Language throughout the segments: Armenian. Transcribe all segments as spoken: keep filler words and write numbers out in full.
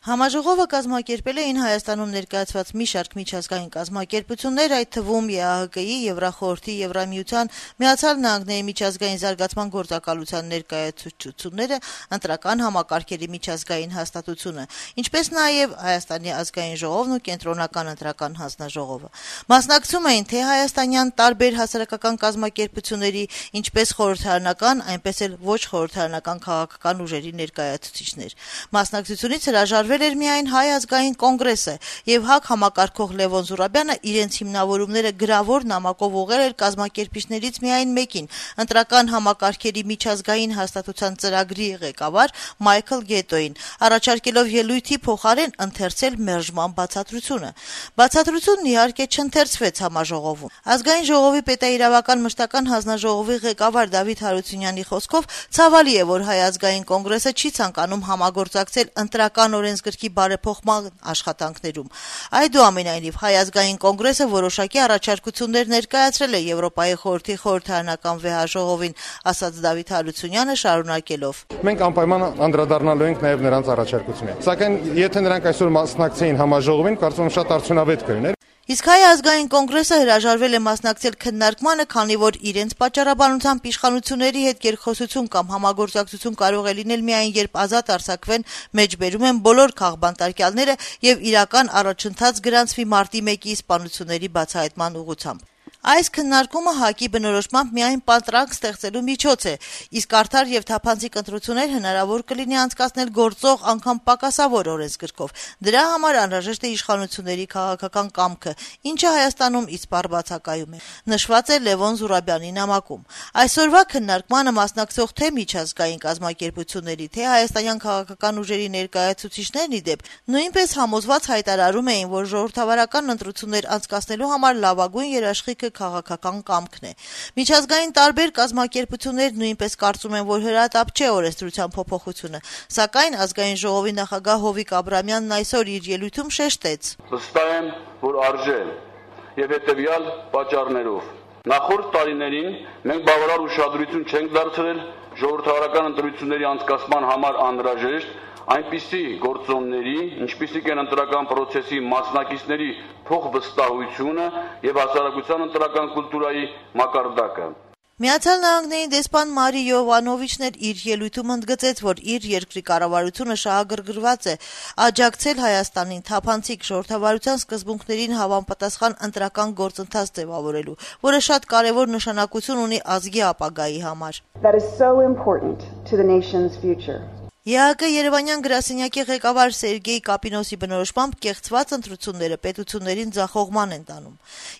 Համաժողովը կազմակերպել էին Հայաստանում ներկայացված մի շարք միջազգային կազմակերպություններ, այդ թվում Է Ա Հ Կ-ի, Եվրախորհրդի, Եվրամիության, Միացյալ Նահանգների միջազգային զարգացման գործակալության ներկայացուցիչները, ընտրական համակարգերի միջազգային հաստատությունը, ինչպես նաև Հայաստանի ազգային ժողովն ու Կենտրոնական ընտրական հանձնաժողովը։ Մասնակցում էին թե հայաստանյան տարբեր հասարակական կազմակերպությունների, ինչպես խորհրդարանական, այնպես էլ ոչ խորհրդարանական քաղաքական ուժերի ներկայացուցիչներ։ Մասնակցությունից հրաժարվել էր միայն Հայ ազգային կոնգրեսը, եւ ՀԱԿ համակարգող Լևոն Զուրաբյանը իրենց հիմնավորումները գրավոր նամակով ուղղել էր կազմակերպիչներից միայն մեկին՝ ընտրական համակարգերի միջազգային հաստատության ծրագրի ղեկավար Մայքլ Գետոին, առաջարկելով ելույթի փոխարեն ընթերցել մերժման բացատրությունը։ Բացատրությունն իհարկե չընթերցվեց համաժողովում։ Ազգային ժողովի պետաիրավական մշտական հանձնաժողովի ղեկավար Դավիթ Հարությունյանի խոսքով ցավալի է, որ Հայ ազգային կոնգրեսը չի ցանկանում համագործակցել ընտրական օրենսգրքի բարեփոխման աշխատանքներում։ Այդուամենայնիվ, Հայ ազգային կոնգրեսը որոշակի առաջարկություններ ներկայացրել է Եվրոպայի խորհրդի խորհրդարանական վեհաժողովին, ասաց Դավիթ Հարությունյանը շարունակելով. Մենք անպայման անդրադառնալու ենք նաև նրանց առաջարկություններին։ Սակայն եթե նրանք այսօր մասնակցեին համաժողովին, կարծում եմ շատ արդյունավետ կլիներ։ Իսկ Հայ ազգային կոնգրեսը հրաժարվել է մասնակցել քննարկմանը, քանի որ իրենց պատճառաբանությամբ իշխանությունների հետ երկխոսություն կամ համագործակցություն կարող է լինել միայն երբ ազատ արձակվեն, մեջբերում են բոլոր քաղբանտարկյալները եւ իրական առաջընթաց գրանցվի մարտի մեկի սպանությունների բացահայտման ուղղությամբ։ Այս քննարկումը ՀԱԿ-ի բնորոշմամբ միայն պատրանք ստեղծելու միջոց է, իսկ արդար եւ թափանցիկ ընտրություններ հնարավոր կլինի անցկացնել գործող անգամ պակասավոր օրենսգրքով։ Դրա համար անհրաժեշտ է իշխանությունների քաղաքական կամքը, ինչը Հայաստանում իսպառ բացակայում է, նշված է Լևոն Զուրաբյանի նամակում։ Այսօրվա քննարկմանը մասնակցող թե միջազգային կազմակերպությունների, թե հայաստանյան քաղաքական ուժերի ներկայացուցիչներն ի դեպ նույնպես համոզված հայտարարում էին, որ ժողովրդավարական ընտրություններ անցկացնելու համար լավագույն երաշխիքը քաղաքական կամքն է։ Միջազգային տարբեր կազմակերպություններ նույնպես կարծում են, որ հրատապ չէ օրենսդրության փոփոխությունը, սակայն ազգային ժողովի նախագահ Հովիկ Աբրամյանն այսօր իր ելույթում շեշտեց. Վստահ եմ, որ արժե եւ հետեւյալ պատճառներով։ Նախորդ տարիներին մենք բավարար ուշադրություն չենք դարձրել ժողովրդավարական ընտրությունների անցկացման համար անհրաժեշտ այնպիսի գործոնների, ինչպիսիք են ընտրական պրոցեսի մասնակիցների փոխվստահությունը եւ հասարակության ընտրական կուլտուրայի մակարդակը։ Միացյալ Նահանգների դեսպան Մարի Յովանովիչն էլ իր ելույթում ընդգծեց, որ իր երկրի կառավարությունը շահագրգռված է աջակցել Հայաստանին թափանցիկ ժողովրդավարության սկզբունքներին հավանպատասխան ընտրական գործընթաց ձևավորելու, որը շատ կարևոր նշանակություն ունի ազգի ապագայի համար։ That is so important to the nation's future. Է Ա Հ Կ Երևանյան գրասենյակի ղեկավար Սերգեյ Կապինոսի բնորոշմամբ կեղծված ընտրությունները պետություններին ձախողման են տանում։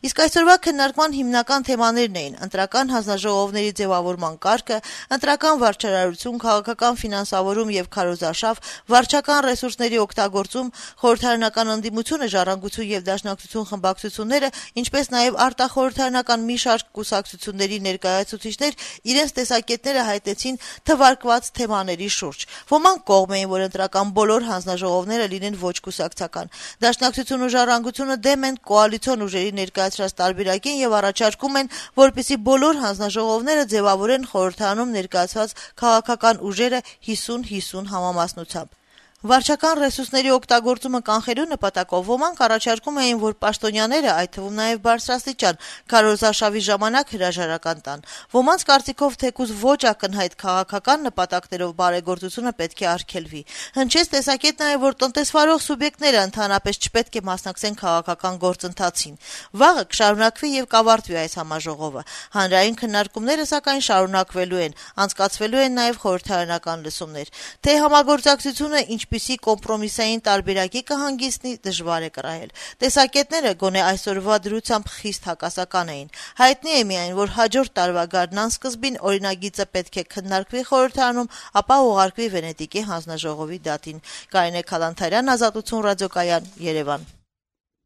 Իսկ այսօրվա քննարկման հիմնական թեմաներն էին ընտրական հանձնաժողովների ձևավորման կարգը, ընտրական վարչարարություն, քաղաքական ֆինանսավորում եւ քարոզարշավ, վարչական ռեսուրսների օգտագործում, խորհրդարանական ընդդիմությունը, ժառանգություն եւ դաշնակցություն խմբակցությունները, ինչպես նաեւ արտախորհրդարանական մի շարք կուսակցությունների ներկայացուցիչներ իրենց տեսակետները հայտնեցին թվարկված թեմաների շուրջ։ Ոմանք կողմ էին, որ ընտրական բոլոր հանձնաժողովները լինեն ոչ կուսակցական։ Դաշնակցություն ու ժառանգությունը դեմ են կոալիցիոն ուժերի ներկայացրած տարբերակին եւ առաջարկում են, որպեսզի բոլոր հանձնաժողովները ձևավորեն խորհրդարանում ներկայացված քաղաքական ուժերը հիսուն հիսուն համամասնությամբ։ Վարչական ռեսուրսների օգտագործումը կանխելու նպատակով ոմանք առաջարկում էին, որ պաշտոնյաները, այդ թվում նաև բարձրաստիճան, քարոզարշավի ժամանակ հրաժարական տան։ Ոմանց կարծիքով թեկուզ ոչ ակնհայտ քաղաքական նպատակներով բարեգործությունը պետք է արգելվի։ Հնչեց տեսակետ նաև, որ տնտեսվարող սուբյեկտները ընդհանրապես չպետք է մասնակցեն քաղաքական գործընթացին։ Վաղը կշարունակվի եւ կավարտվի այս համաժողովը։ Հանրային քննարկումները սակայն շարունակվելու են, անցկացվելու են նաև խորհրդարանական լսումներ։ Թե համագործակցությունը ինչ Ինչպիսի կոմպրոմիսային տարբերակի կհանգիստնի դժվար է կռահել։ Տեսակետները գոնե այսօրվա դրությամբ խիստ հակասական էին։ Հայտնի է միայն, որ հաջորդ տարվա գարնան սկզբին օրինագիծը պետք է քննարկվի խորհրդարանում, ապա ուղարկվի Վենետիկի հանձնաժողովի դատին։ Կարինե Քալանթարյան, Ազատություն ռադիոկայան, Երևան։